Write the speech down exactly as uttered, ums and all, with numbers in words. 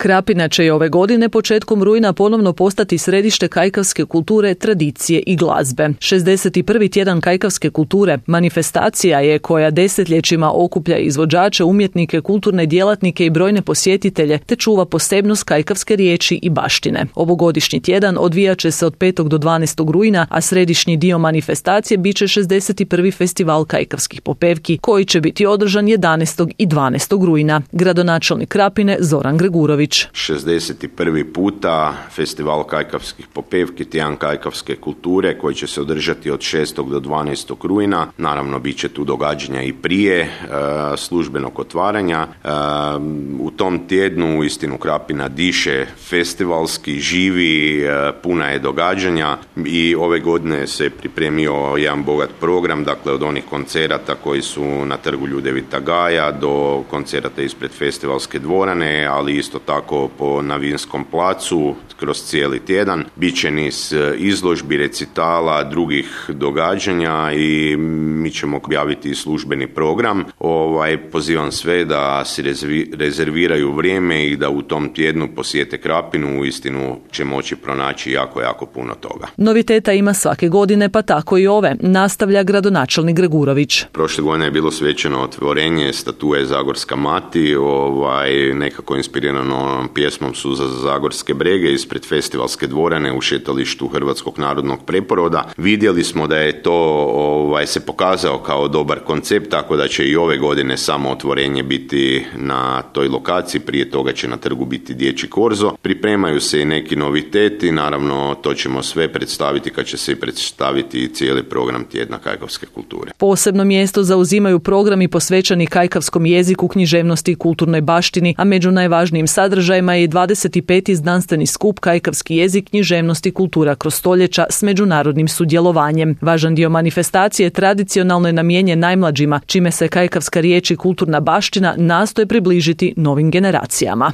Krapina će i ove godine početkom rujna ponovno postati središte kajkavske kulture, tradicije i glazbe. šezdeset prvi tjedan kajkavske kulture manifestacija je koja desetljećima okuplja izvođače, umjetnike, kulturne djelatnike i brojne posjetitelje te čuva posebnost kajkavske riječi i baštine. Ovogodišnji tjedan odvijat će se od petog do dvanaestog rujna, a središnji dio manifestacije bit će šezdeset prvi festival kajkavskih popevki koji će biti održan jedanaestog i dvanaestog rujna. Gradonačelnik Krapine Zoran Gregurović. šezdeset prvi puta festival kajkavskih popevki, tjedan kajkavske kulture koji će se održati od šestog do dvanaestog rujna. Naravno, bit će tu događanja i prije e, službenog otvaranja. E, u tom tjednu uistinu Krapina diše festivalski, živi, e, puna je događanja i ove godine se pripremio jedan bogat program, dakle od onih koncerata koji su na trgu Ljudevita Gaja do koncerata ispred festivalske dvorane, ali isto tako po na Vinskom placu kroz cijeli tjedan. Biće niz izložbi, recitala, drugih događanja i mi ćemo objaviti službeni program. Ovaj, pozivam sve da si rezerviraju vrijeme i da u tom tjednu posjete Krapinu, uistinu će moći pronaći jako, jako puno toga. Noviteta ima svake godine, pa tako i ove, nastavlja gradonačelnik Gregurović. Prošle godine je bilo svečano otvorenje statue Zagorska mati, ovaj, nekako inspirirano pjesmom Suza za Zagorske brege ispred festivalske dvorane u šetalištu Hrvatskog narodnog preporoda. Vidjeli smo da je to ovaj, se pokazao kao dobar koncept, tako da će i ove godine samo otvorenje biti na toj lokaciji, prije toga će na trgu biti dječji korzo. Pripremaju se i neki noviteti, naravno to ćemo sve predstaviti kad će se i predstaviti cijeli program tjedna kajkavske kulture. Posebno mjesto zauzimaju programi posvećeni kajkavskom jeziku, književnosti i kulturnoj baštini, a među najvažnijim sadržajima je dvadeset peti znanstveni skup Kajkavski jezik, književnost i kultura kroz stoljeća s međunarodnim sudjelovanjem. Važan dio manifestacije tradicionalno je namijenjen najmlađima, čime se kajkavska riječ i kulturna baština nastoje približiti novim generacijama.